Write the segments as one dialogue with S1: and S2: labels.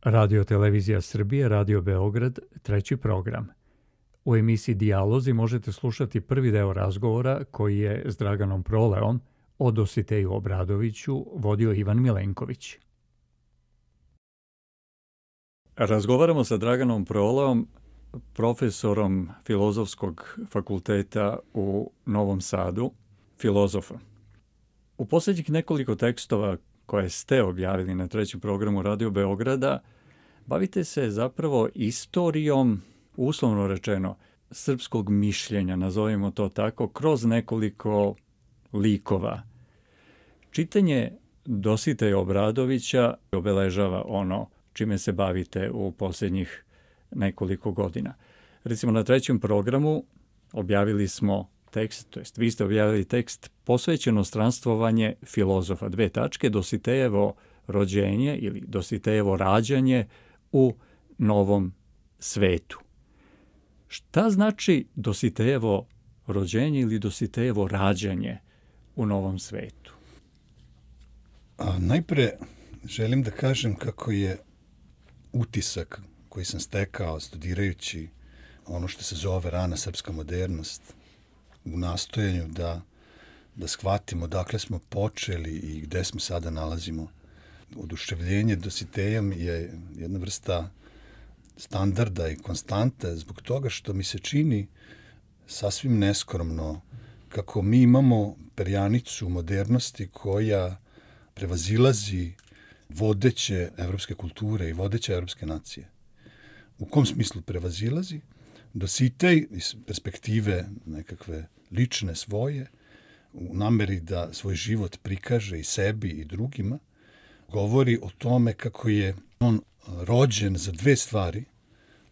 S1: Radio Televizija Srbije, Radio Beograd, treći program. U emisiji Dijalozi možete slušati prvi deo razgovora koji je s Draganom Proleom o Dositeju Obradoviću vodio Ivan Milenković. Razgovaramo sa Draganom Proleom, profesorom Filozofskog fakulteta u Novom Sadu, filozofa. U posljednjih nekoliko tekstova koje ste objavili na trećem programu Radio Beograda, bavite se zapravo istorijom, uslovno rečeno, srpskog mišljenja, nazovimo to tako, kroz nekoliko likova. Čitanje Dositeja Obradovića obeležava ono čime se bavite u posljednjih nekoliko godina. Recimo na trećem programu objavili smo tekst, to jest vi ste objavili tekst posvećeno stranstvovanje filozofa, Dositejevo rođenje ili Dositejevo rađanje u novom svetu. Šta znači Dositejevo rođenje ili Dositejevo rađanje u novom svetu?
S2: Najpre želim da kažem kako je utisak koji sam stekao studirajući ono što se zove rana srpska modernost, u nastojanju da shvatimo dakle smo počeli i gde smo sada nalazimo. Oduševljenje Dositejom je jedna vrsta standarda i konstante zbog toga što mi se čini sasvim neskromno kako mi imamo perjanicu modernosti koja prevazilazi vodeće evropske kulture i vodeće evropske nacije. U kom smislu prevazilazi? Dositej iz perspektive nekakve lične svoje, u nameri da svoj život prikaže i sebi i drugima, govori o tome kako je on rođen za dve stvari,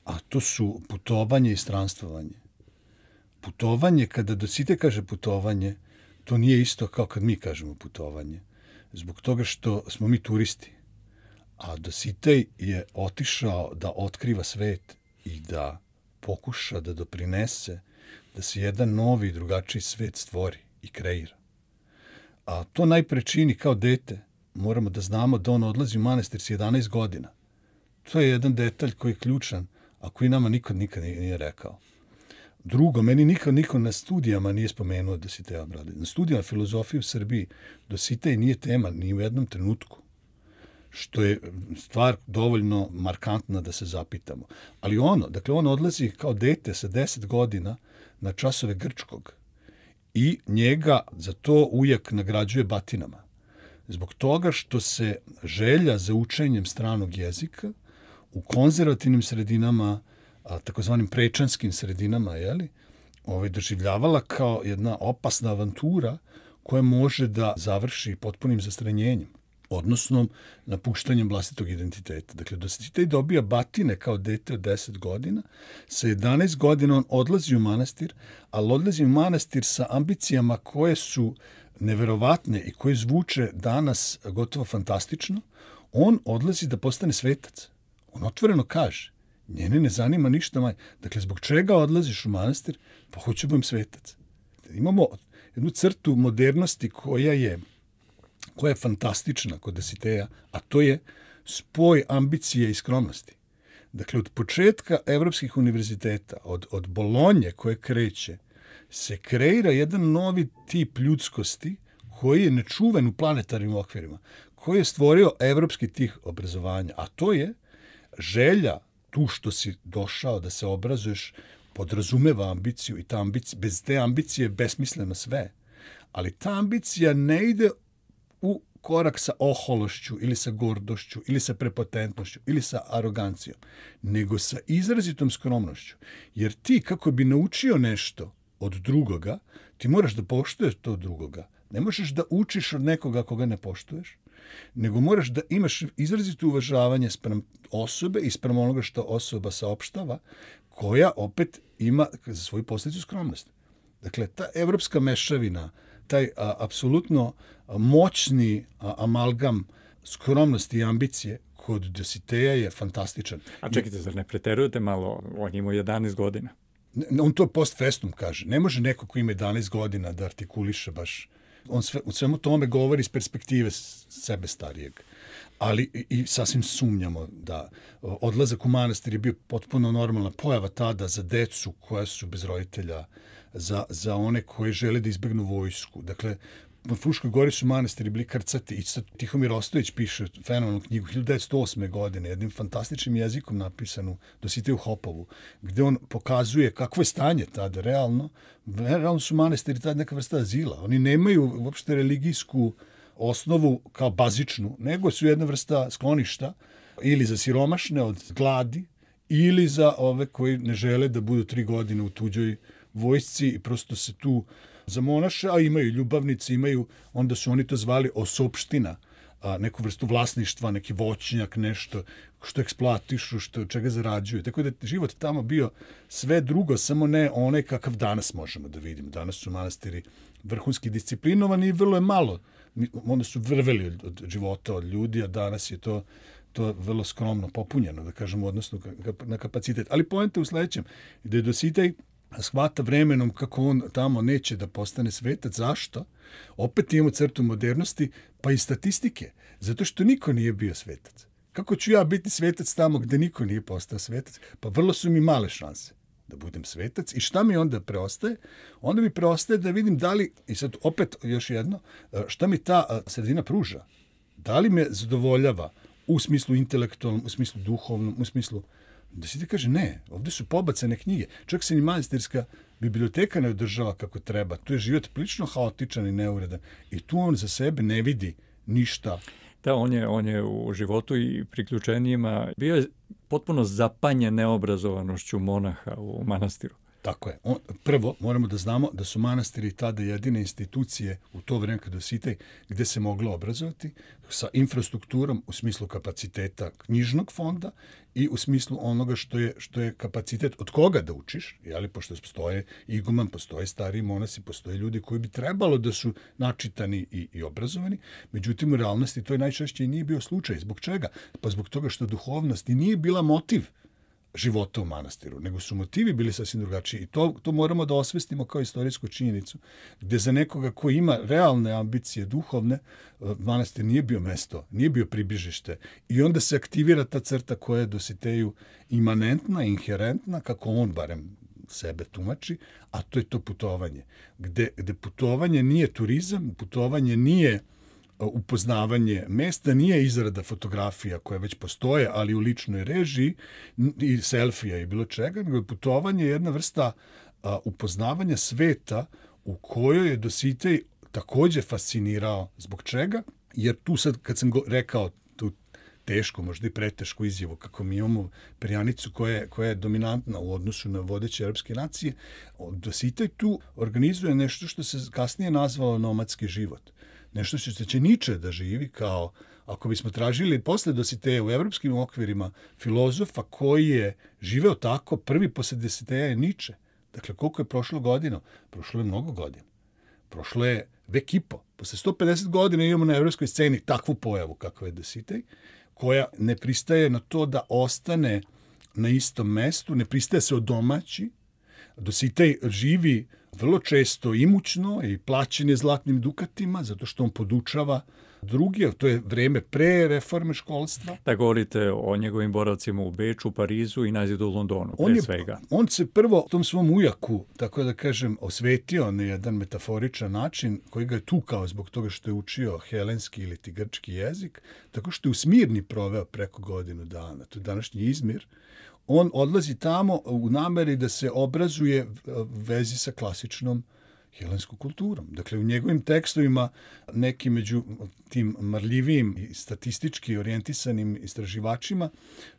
S2: a to su putovanje i stranstvovanje. Putovanje, kada Dositej kaže putovanje, to nije isto kao kad mi kažemo putovanje. Zbog toga što smo mi turisti. A Dositej je otišao da otkriva svet i da pokuša da doprinese da se jedan novi i drugačiji svet stvori i kreira. A to najpre čini kao dete. Moramo da znamo da on odlazi u manastir s 11 godina. To je jedan detalj koji je ključan, a koji nama nikad nije rekao. Drugo, meni nikad niko na studijama nije spomenuo Dositeja Obradovića. Na studijama filozofije u Srbiji Dositej nije tema ni u jednom trenutku, što je stvar dovoljno markantna da se zapitamo. Ali on odlazi kao dete sa 10 godina na časove grčkog i njega za to ujak nagrađuje batinama. Zbog toga što se želja za učenjem stranog jezika u konzervativnim sredinama, takozvanim prečanskim sredinama, doživljavala kao jedna opasna avantura koja može da završi potpunim zastranjenjem, odnosno napuštanjem vlastitog identiteta. Dakle, Dositej dobija batine kao dete od 10 godina, sa 11 godina on odlazi u manastir, ali odlazi u manastir sa ambicijama koje su neverovatne i koje zvuče danas gotovo fantastično. On odlazi da postane svetac. On otvoreno kaže, njene ne zanima ništa manje. Dakle, zbog čega odlaziš u manastir? Pa hoću budem svetac. Imamo jednu crtu modernosti koja je fantastična kod Dositeja, a to je spoj ambicije i skromnosti. Dakle, od početka evropskih univerziteta, od Bolonje koje kreće, se kreira jedan novi tip ljudskosti koji je nečuven u planetarnim okvirima, koji je stvorio evropski tih obrazovanja, a to je želja tu što si došao da se obrazuješ, podrazumeva ambiciju i ta ambicija, bez te ambicije je besmisleno sve. Ali ta ambicija ne ide u korak sa ohološću ili sa gordošću ili sa prepotentnošću ili sa arogancijom, nego sa izrazitom skromnošću. Jer ti kako bi naučio nešto od drugoga, ti moraš da poštuješ to drugoga. Ne možeš da učiš od nekoga koga ne poštuješ, nego moraš da imaš izrazito uvažavanje sprem osobe i sprem onoga što osoba saopštava, koja opet ima za svoju posljedicu skromnost. Dakle, ta evropska mešavina, taj apsolutno moćni amalgam skromnosti i ambicije kod Dositeja je fantastičan.
S1: A čekajte, zar ne preterujete malo? On ima 11 godina.
S2: On to post festum kaže. Ne može neko ko ima 11 godina da artikuliše baš. On u svemu tome govori iz perspektive sebe starijeg. ali i sasvim sumnjamo da odlazak u manastir je bio potpuno normalna pojava tada za decu koja su bez roditelja, za one koji žele da izbegnu vojsku. Dakle, u Fruškoj Gori su manastiri bili krcati i sad Tihomir Ostojić piše fenomenalnu knjigu 1908. godine, jednim fantastičnim jezikom napisanu Dositeju Hopovu, gde on pokazuje kakvo je stanje tada realno. Realno su manastiri tada neka vrsta azila. Oni nemaju uopšte religijsku osnovu kao bazičnu, nego su jedna vrsta skloništa ili za siromašne od gladi ili za ove koji ne žele da budu 3 godine u tuđoj vojsci i prosto se tu zamonaše, a imaju ljubavnice, onda su oni to zvali osopština, neku vrstu vlasništva, neki voćnjak, nešto što eksploatišu, čega zarađuju. Tako da je život tamo bio sve drugo, samo ne onaj kakav danas možemo da vidimo. Danas su manastiri vrhunski disciplinovani i vrlo je malo. Onda su vrveli od života, od ljudi, a danas je to vrlo skromno popunjeno, da kažemo, odnosno na kapacitet. Ali poenta u sledećem, da je Dositej shvata vremenom kako on tamo neće da postane svetac. Zašto? Opet imamo crtu modernosti, pa i statistike. Zato što niko nije bio svetac. Kako ću ja biti svetac tamo gde niko nije postao svetac? Pa vrlo su mi male šanse da budem svetac. I šta mi onda preostaje? Onda mi preostaje da vidim da li, i sad opet još jedno, šta mi ta sredina pruža? Da li me zadovoljava u smislu intelektualnom, u smislu duhovnom, u smislu da se ti kaže ne, ovde su pobacane knjige. Čak se ni manastirska biblioteka ne održava kako treba. Tu je život prilično haotičan i neuredan. I tu on za sebe ne vidi ništa.
S1: Da, on je u životu i priključenjima bio je potpuno zapanjen neobrazovanošću monaha u manastiru.
S2: Tako je. Prvo, moramo da znamo da su manastiri tada jedine institucije u to vreme kad Dositej gde se moglo obrazovati sa infrastrukturom u smislu kapaciteta knjižnog fonda i u smislu onoga što je kapacitet od koga da učiš, jeli, pošto postoje iguman, postoje stariji monasi, postoje ljudi koji bi trebalo da su načitani i obrazovani. Međutim, u realnosti to je najčešće i nije bio slučaj. Zbog čega? Pa zbog toga što duhovnost i nije bila motiv života u manastiru, nego su motivi bili sasvim drugačiji. I to moramo da osvestimo kao istorijsku činjenicu, gde za nekoga ko ima realne ambicije duhovne, manastir nije bio mesto, nije bio pribižište. I onda se aktivira ta crta koja je Dositeju imanentna, inherentna, kako on barem sebe tumači, a to je to putovanje. Gde putovanje nije turizam, putovanje nije upoznavanje mesta, nije izrada fotografija koje već postoje, ali u ličnoj režiji i selfija i bilo čega, nego je putovanje jedna vrsta upoznavanja sveta u kojoj je Dositej takođe fascinirao. Zbog čega? Jer tu sad, kad sam rekao tu tešku, možda i pretešku izjavu, kako mi imamo perjanicu koja je dominantna u odnosu na vodeće arapske nacije, Dositej tu organizuje nešto što se kasnije nazvalo nomadski život. Nešto što će Niče da živi kao, ako bismo tražili posle Dositeja u evropskim okvirima filozofa koji je živeo tako, prvi posle Dositeja je Niče. Dakle, koliko je prošlo godina? Prošlo je mnogo godina. Prošlo je vek i po. Posle 150 godina imamo na evropskoj sceni takvu pojavu kakva je Dositej, koja ne pristaje na to da ostane na istom mestu, ne pristaje se odomaći. Dositej živi vrlo često imućno i plaćen je zlatnim dukatima, zato što on podučava drugi, to je vreme pre reforme školstva.
S1: Da govorite o njegovim boravcima u Beču, Parizu i najzad u Londonu, pre svega.
S2: On se prvo tom svom ujaku, tako da kažem, osvetio na jedan metaforičan način, koji ga je tukao zbog toga što je učio helenski ili grčki jezik, tako što je u Smirni proveo preko godinu dana. To je današnji Izmir. On odlazi tamo u nameri da se obrazuje vezi sa klasičnom helenskom kulturom. Dakle, u njegovim tekstovima neki među tim marljivijim i statistički orijentisanim istraživačima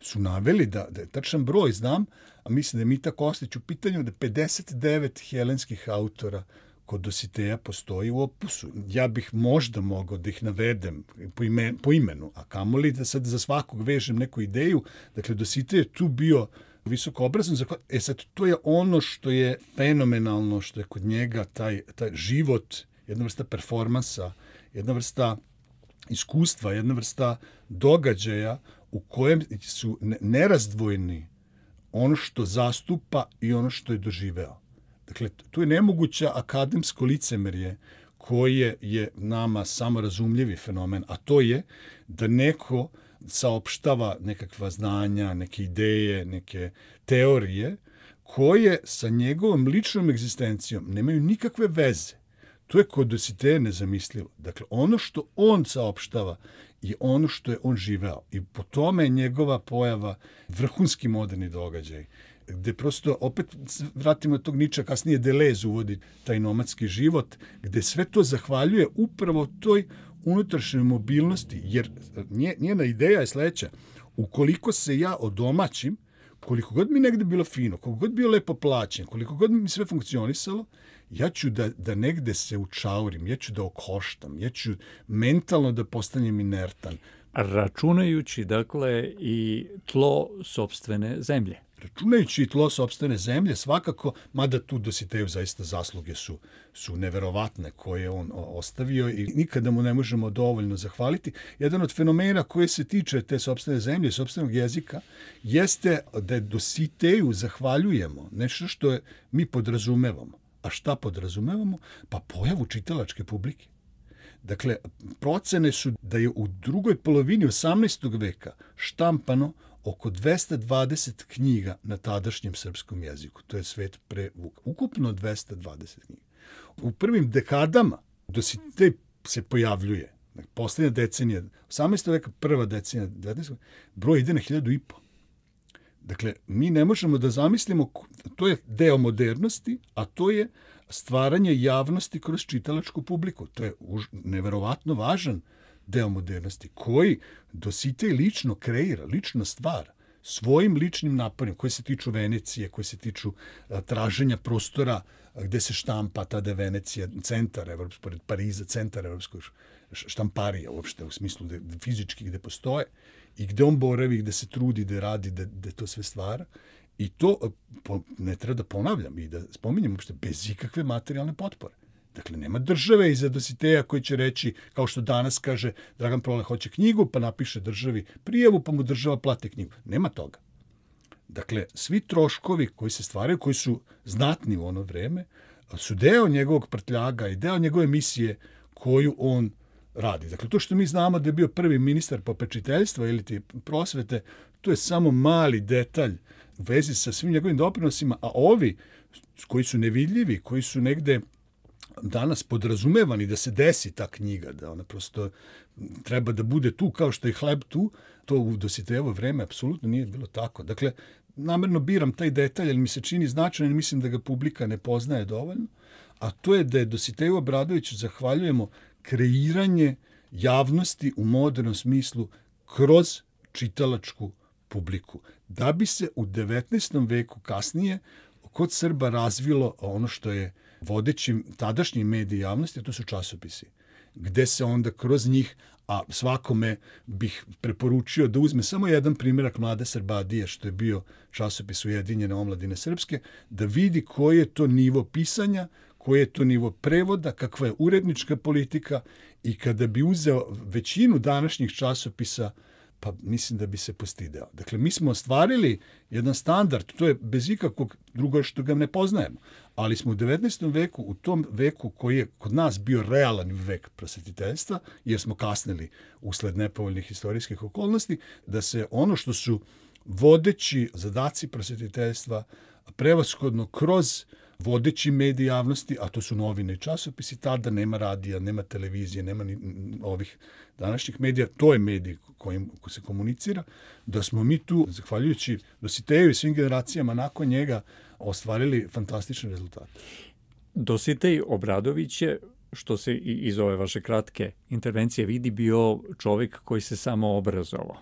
S2: su naveli da je tačan broj, znam, a mislim da je Mita Kostić u pitanju, da 59 helenskih autora kod Dositeja postoji u opusu. Ja bih možda mogao da ih navedem po imenu, a kamoli da sad za svakog vežem neku ideju. Dakle, Dositej je tu bio visoko obrazan. Sad, to je ono što je fenomenalno, što je kod njega taj život, jedna vrsta performansa, jedna vrsta iskustva, jedna vrsta događaja u kojem su nerazdvojni ono što zastupa i ono što je doživeo. Dakle, tu je nemoguća akademsko licemerje koje je nama samorazumljivi fenomen, a to je da neko saopštava nekakva znanja, neke ideje, neke teorije koje sa njegovom ličnom egzistencijom nemaju nikakve veze. To je kod Dositeja nezamislivo. Dakle, ono što on saopštava je ono što je on živeo. I po tome je njegova pojava vrhunski moderni događaj, gde prosto, opet vratimo tog Niča, kasnije Deleuze uvodi taj nomadski život, gde sve to zahvaljuje upravo toj unutrašnjoj mobilnosti, jer njena ideja je sledeća: ukoliko se ja odomaćim, koliko god mi negde bilo fino, koliko god bio lepo plaćen, koliko god mi sve funkcionisalo, ja ću da negde se učaurim, ja ću da okoštam, ja ću mentalno da postanem inertan.
S1: Računajući, dakle, i tlo sopstvene zemlje.
S2: Računajući i tlo sopstvene zemlje, svakako, mada tu Dositeju zaista zasluge su neverovatne koje on ostavio i nikada mu ne možemo dovoljno zahvaliti. Jedan od fenomena koje se tiče te sopstvene zemlje, sopstvenog jezika, jeste da Dositeju zahvaljujemo nešto što mi podrazumevamo. A šta podrazumevamo? Pa pojavu čitalačke publike. Dakle, procene su da je u drugoj polovini 18. veka štampano oko 220 knjiga na tadašnjem srpskom jeziku. To je svet pre Vuka. Ukupno 220 knjiga. U prvim dekadama Dositej se pojavljuje. Poslednja decenija, 18. veka, prva decenija, 19. veka, broj ide na 1500. Dakle, mi ne možemo da zamislimo, to je deo modernosti, a to je stvaranje javnosti kroz čitalačku publiku. To je neverovatno važan deo modernosti, koji Dositej lično kreira, lično stvara svojim ličnim naporima, koje se tiču Venecije, koje se tiču traženja prostora gde se štampa, tada je Venecija centar evropskog, pored Pariza, centar evropskog štamparija, uopšte u smislu fizički gde postoje, i gde on boravi, gde se trudi, gde radi, gde to sve stvara. I to ne treba da ponavljam i da spominjem uopšte bez ikakve materijalne potpore. Dakle, nema države iza Dositeja koji će reći, kao što danas kaže, Dragan Prole hoće knjigu, pa napiše državi prijavu, pa mu država plati knjigu. Nema toga. Dakle, svi troškovi koji se stvaraju, koji su znatni u ono vreme, su deo njegovog prtljaga i deo njegove misije koju on radi. Dakle, to što mi znamo da je bio prvi ministar popečiteljstva ili ti prosvete, to je samo mali detalj u vezi sa svim njegovim doprinosima, a ovi koji su nevidljivi, koji su negde danas podrazumevani da se desi ta knjiga, da ona prosto treba da bude tu kao što je hleb tu, to u Dositejevo vreme apsolutno nije bilo tako. Dakle, namerno biram taj detalj, jer mi se čini značajan i mislim da ga publika ne poznaje dovoljno, a to je da je Dositeju Obradoviću zahvaljujemo kreiranje javnosti u modernom smislu kroz čitalačku publiku. Da bi se u 19. veku kasnije kod Srba razvilo ono što je vodeći tadašnji mediji javnosti, a to su časopisi, gde se onda kroz njih, a svakome bih preporučio da uzme samo jedan primjerak Mlade Srbadije, što je bio časopis Ujedinjene omladine srpske, da vidi koji je to nivo pisanja, koji je to nivo prevoda, kakva je urednička politika, i kada bi uzeo većinu današnjih časopisa, pa mislim da bi se postideo. Dakle, mi smo ostvarili jedan standard, to je bez ikakvog drugo što ga ne poznajemo, ali smo u 19. veku, u tom veku koji je kod nas bio realan vek prosvetiteljstva, jer smo kasnili usled nepovoljnih istorijskih okolnosti, da se ono što su vodeći zadaci prosvetiteljstva prevashodno kroz vodeći mediji javnosti, a to su novine i časopisi, tada nema radija, nema televizije, nema ni ovih današnjih medija, to je medij kojim se komunicira, da smo mi tu, zahvaljujući Dositeju i svim generacijama nakon njega, ostvarili fantastične rezultate.
S1: Dositej Obradović je, što se i iz ove vaše kratke intervencije vidi, bio čovjek koji se samo obrazovao,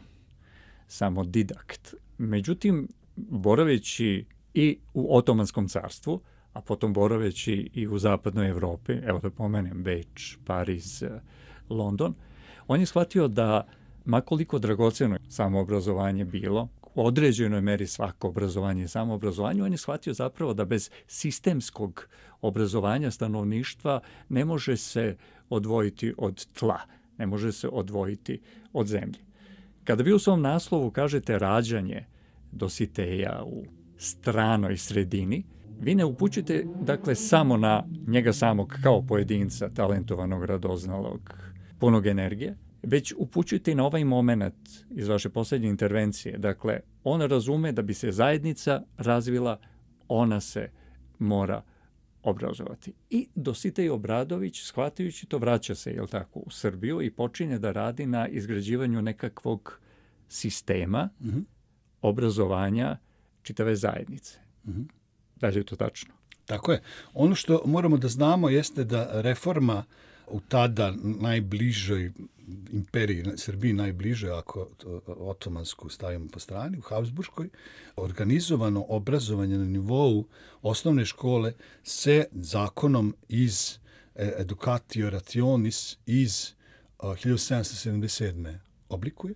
S1: samo didakt. Međutim, boraveći i u Otomanskom carstvu, a potom boraveći i u zapadnoj Evropi, evo da pomenem Beč, Pariz, London, on je shvatio da, makoliko dragoceno samoobrazovanje bilo, u određenoj meri svako obrazovanje i samoobrazovanje, on je shvatio zapravo da bez sistemskog obrazovanja stanovništva ne može se odvojiti od tla, ne može se odvojiti od zemlje. Kada vi u svom naslovu kažete rađanje Dositeja u stranoj sredini, vi ne upućujete, dakle, samo na njega samog kao pojedinca, talentovanog, radoznalog, punog energije, već upućujete i na ovaj moment iz vaše posljednje intervencije. Dakle, on razume da bi se zajednica razvila, ona se mora obrazovati. I Dositej Obradović, shvatajući to, vraća se, jel tako, u Srbiju i počinje da radi na izgrađivanju nekakvog sistema obrazovanja čitave zajednice. Da li je to tačno?
S2: Tako je. Ono što moramo da znamo jeste da reforma u tada najbližoj imperiji, Srbiji najbližoj, ako otomansku stavimo po strani, u Habsburškoj, organizovano obrazovanje na nivou osnovne škole se zakonom iz Educatio Rationis iz 1777. oblikuje,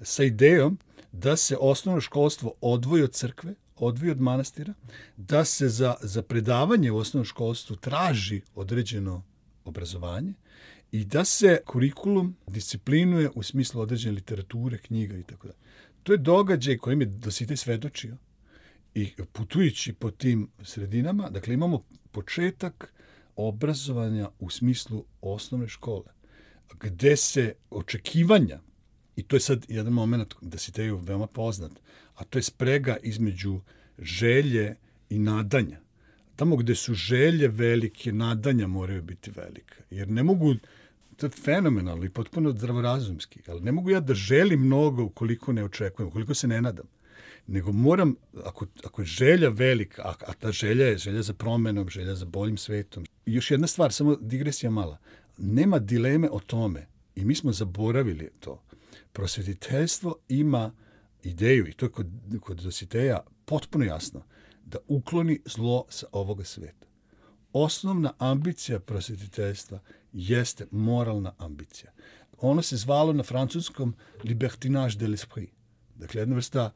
S2: sa idejom da se osnovno školstvo odvoji od crkve, odvoji od manastira, da se za predavanje u osnovnom školstvu traži određeno obrazovanje i da se kurikulum disciplinuje u smislu određene literature, knjiga i tako da. To je događaj kojim je Dositej svedočio i putujući po tim sredinama, dakle imamo početak obrazovanja u smislu osnovne škole, gde se očekivanja, i to je sad jedan moment Dositeju veoma poznat, a to je sprega između želje i nadanja. Tamo gde su želje velike, nadanja moraju biti velike. Jer ne mogu, to je fenomenalno i potpuno zdravorazumski, ali ne mogu ja da želim mnogo ukoliko ne očekujem, ukoliko se ne nadam. Nego moram, ako je želja velika, a ta želja je želja za promenom, želja za boljim svetom. I još jedna stvar, samo digresija mala. Nema dileme o tome, i mi smo zaboravili to. Prosvetiteljstvo ima ideju, i to je kod Dositeja potpuno jasno, da ukloni zlo sa ovoga sveta. Osnovna ambicija prosvetiteljstva jeste moralna ambicija. Ono se zvalo na francuskom libertinage de l'esprit. Dakle, jedna vrsta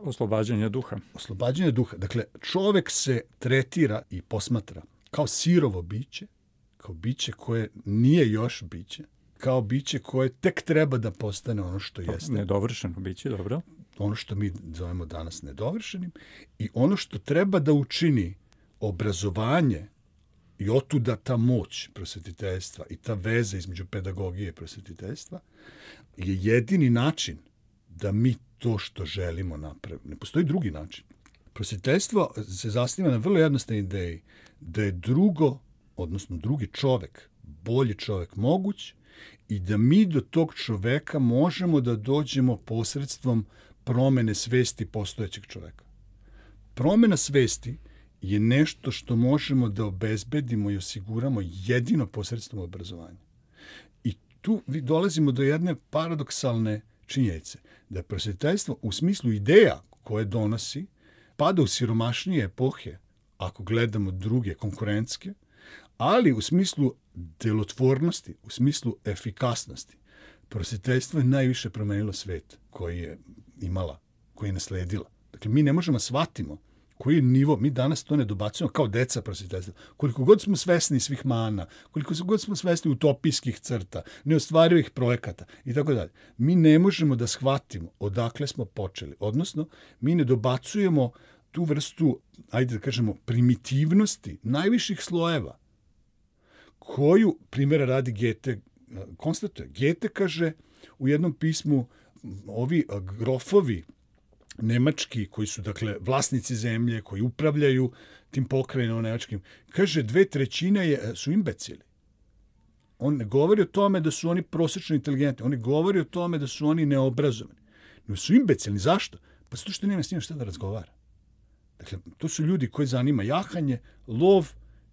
S1: oslobađanja duha.
S2: Oslobađanja duha. Dakle, čovek se tretira i posmatra kao sirovo biće, kao biće koje nije još biće, kao biće koje tek treba da postane ono što jeste.
S1: Nedovršeno biće, dobro.
S2: Ono što mi zovemo danas nedovršenim i ono što treba da učini obrazovanje i otuda ta moć prosvetiteljstva i ta veza između pedagogije i prosvetiteljstva je jedini način da mi to što želimo napravimo. Ne postoji drugi način. Prosvetiteljstvo se zasniva na vrlo jednostavnoj ideji da je drugi čovek, bolji čovek moguć i da mi do tog čoveka možemo da dođemo posredstvom promene svesti postojećeg čoveka. Promena svesti je nešto što možemo da obezbedimo i osiguramo jedino posredstvom obrazovanja. I tu dolazimo do jedne paradoksalne činjenice, da je prosvetiteljstvo u smislu ideja koje donosi pada u siromašnije epohe, ako gledamo druge konkurentske, ali u smislu delotvornosti, u smislu efikasnosti. Prosvetiteljstvo je najviše promenilo svet koji je imala, koji je nasledila. Dakle, mi ne možemo da shvatimo koji je nivo, mi danas to ne dobacujemo kao deca prosvetiteljstva. Koliko god smo svesni svih mana, koliko god smo svesni utopijskih crta, neostvarivih projekata i tako dalje, mi ne možemo da shvatimo odakle smo počeli. Odnosno, mi ne dobacujemo tu vrstu, ajde da kažemo, primitivnosti najviših slojeva, koju, primjera radi, Goethe konstatuje. Goethe kaže u jednom pismu, ovi grofovi nemački, koji su, dakle, vlasnici zemlje, koji upravljaju tim pokrajinom nemačkim, kaže 2/3 su imbecili. On ne govori o tome da su oni prosečno inteligentni, on ne govori o tome da su oni neobrazovani. No su imbecilni. Zašto? Pa zato što nema s njima šta da razgovara. Dakle, to su ljudi koji zanima jahanje, lov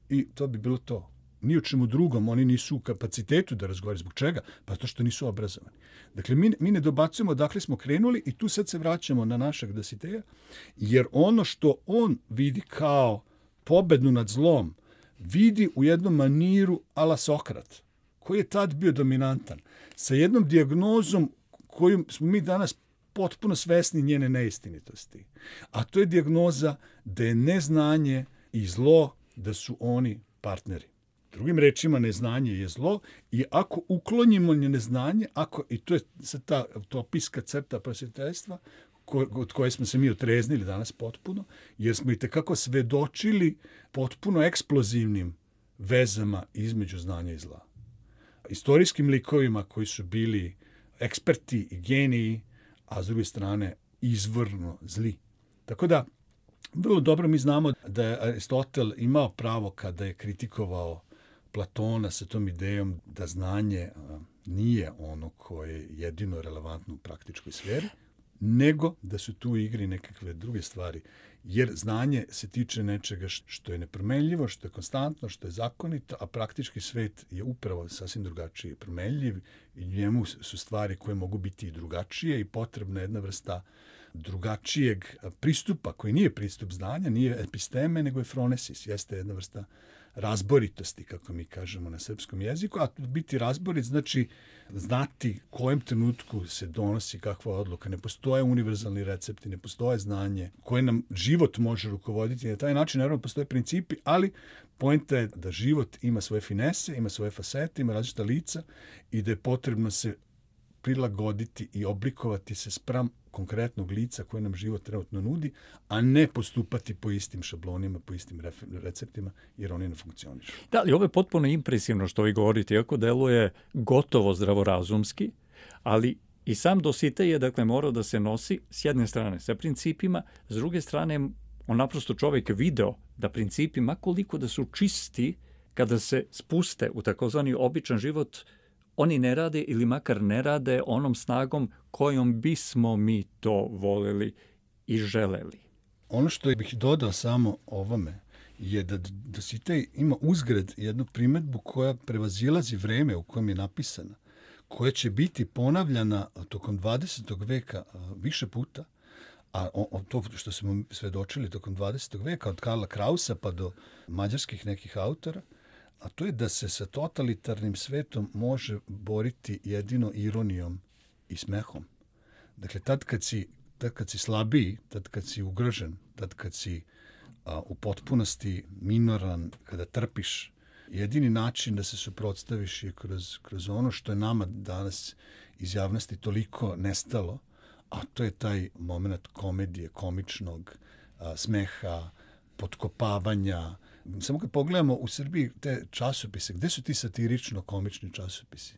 S2: i to bi bilo to. Ni o čemu drugom, oni nisu u kapacitetu da razgovaraju. Zbog čega? Pa zato što nisu obrazovani. Dakle, mi ne dobacujemo odakle smo krenuli i tu sad se vraćamo na našeg Dositeja, jer ono što on vidi kao pobednu nad zlom, vidi u jednom maniru ala Sokrat, koji je tad bio dominantan, sa jednom dijagnozom koju smo mi danas potpuno svesni njene neistinitosti. A to je dijagnoza da je neznanje i zlo, da su oni partneri. Drugim rečima, neznanje je zlo i ako uklonimo neznanje, i to je sad ta utopijska crta prosvjetiteljstva, od koje smo se mi otreznili danas potpuno, jer smo i tekako svedočili potpuno eksplozivnim vezama između znanja i zla. Istorijskim likovima koji su bili eksperti i geniji, a s druge strane izvorno zli. Tako da, vrlo dobro mi znamo da je Aristotel imao pravo kada je kritikovao Platona sa tom idejom da znanje nije ono koje je jedino relevantno u praktičkoj sferi, nego da su tu u igri nekakve druge stvari. Jer znanje se tiče nečega što je nepromenljivo, što je konstantno, što je zakonito, a praktički svet je upravo sasvim drugačiji i promenljiv i njemu su stvari koje mogu biti i drugačije i potrebna jedna vrsta drugačijeg pristupa, koji nije pristup znanja, nije episteme, nego je phronesis, jeste jedna vrsta razboritosti, kako mi kažemo na srpskom jeziku, a biti razborit znači znati kojem trenutku se donosi kakva odluka. Ne postoje univerzalni recepti, ne postoje znanje koje nam život može rukovoditi. Na taj način, naravno, postoje principi, ali poenta je da život ima svoje finese, ima svoje fasete, ima različita lica i da je potrebno se prilagoditi i oblikovati se spram konkretnog lica koje nam život trenutno nudi, a ne postupati po istim šablonima, po istim receptima, jer oni ne funkcionišu.
S1: Da, ali ovo je potpuno impresivno što vi govorite, iako deluje gotovo zdravorazumski, ali i sam Dositej je, dakle, morao da se nosi s jedne strane sa principima, s druge strane on naprosto čovjek video da principi, makoliko da su čisti, kada se spuste u takozvani običan život, oni ne rade ili makar ne rade onom snagom kojom bismo mi to voleli i želeli.
S2: Ono što bih dodao samo ovome je da Dositej ima uzgred jednu primedbu koja prevazilazi vreme u kojem je napisana, koja će biti ponavljana tokom 20. veka više puta, a to što smo svedočili tokom 20. veka, od Karla Krausa pa do mađarskih nekih autora, a to je da se sa totalitarnim svetom može boriti jedino ironijom i smehom. Dakle, tad kad si slabiji, tad kad si ugrožen, tad kad si u potpunosti minoran, kada trpiš, jedini način da se suprotstaviš je kroz ono što je nama danas iz javnosti toliko nestalo, a to je taj moment komedije, komičnog smeha, potkopavanja. Samo kad pogledamo u Srbiji te časopise, gde su ti satirično-komični časopisi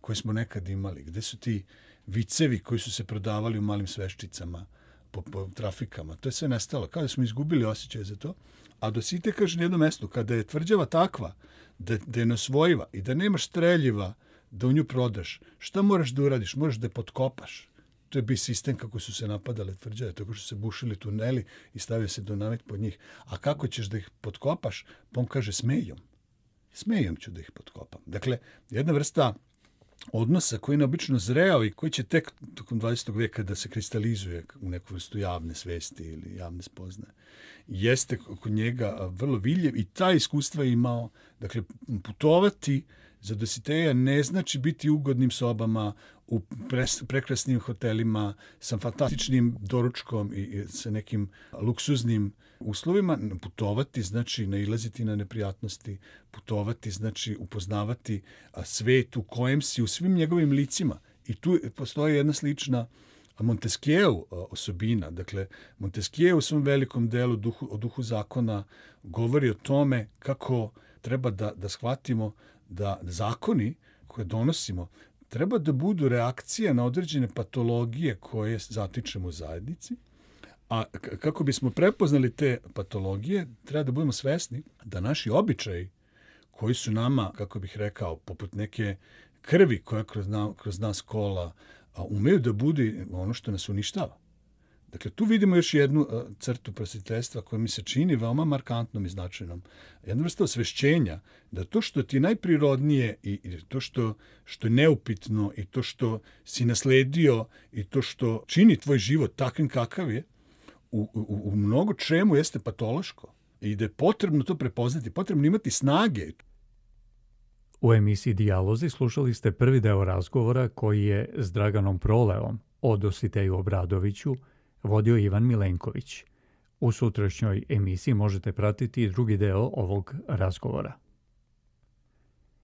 S2: koje smo nekad imali? Gde su ti vicevi koji su se prodavali u malim sveščicama po trafikama? To je sve nestalo. Kao da smo izgubili osjećaj za to. A Dositej kaže na jednom mestu, kada je tvrđava takva, da je neosvojiva i da nemaš streljiva da u nju prodaš, šta moraš da uradiš? Moraš da je potkopaš. To je bio sistem kako su se napadale tvrđave, tako što se bušili tuneli i stavio se dinamit pod njih. A kako ćeš da ih potkopaš? Pa on kaže smejom. Smejom ću da ih potkopam. Dakle, jedna vrsta odnosa koji je neobično zreo i koji će tek tokom 20. veka da se kristalizuje u neku vrstu javne svesti ili javne spoznaje. Jeste kod njega vrlo vidljiv i ta iskustva je imao. Dakle, putovati za Dositeja ne znači biti u ugodnim sobama, u prekrasnim hotelima, sa fantastičnim doručkom i sa nekim luksuznim uslovima. Putovati znači nailaziti na neprijatnosti, putovati znači upoznavati svet u kojem si u svim njegovim licima. I tu postoji jedna slična Montesquieu osobina. Dakle, Montesquieu u svom velikom delu o duhu zakona govori o tome kako treba da shvatimo da zakoni koje donosimo treba da budu reakcija na određene patologije koje zatičemo u zajednici, a kako bismo prepoznali te patologije, treba da budemo svesni da naši običaji koji su nama, kako bih rekao, poput neke krvi koja kroz nas kola, umeju da budu ono što nas uništava. Dakle, tu vidimo još jednu crtu prosvjetiteljstva koja mi se čini veoma markantnom i značajnom. Jedna vrsta osvešćenja da to što ti je najprirodnije i to što je neupitno i to što si nasledio i to što čini tvoj život takvim kakav je, u mnogo čemu jeste patološko i da je potrebno to prepoznati, potrebno imati snage.
S1: U emisiji Dijalozi slušali ste prvi deo razgovora koji je s Draganom Proleom o Dositeju Obradoviću vodio Ivan Milenković. U sutrašnjoj emisiji možete pratiti i drugi deo ovog razgovora.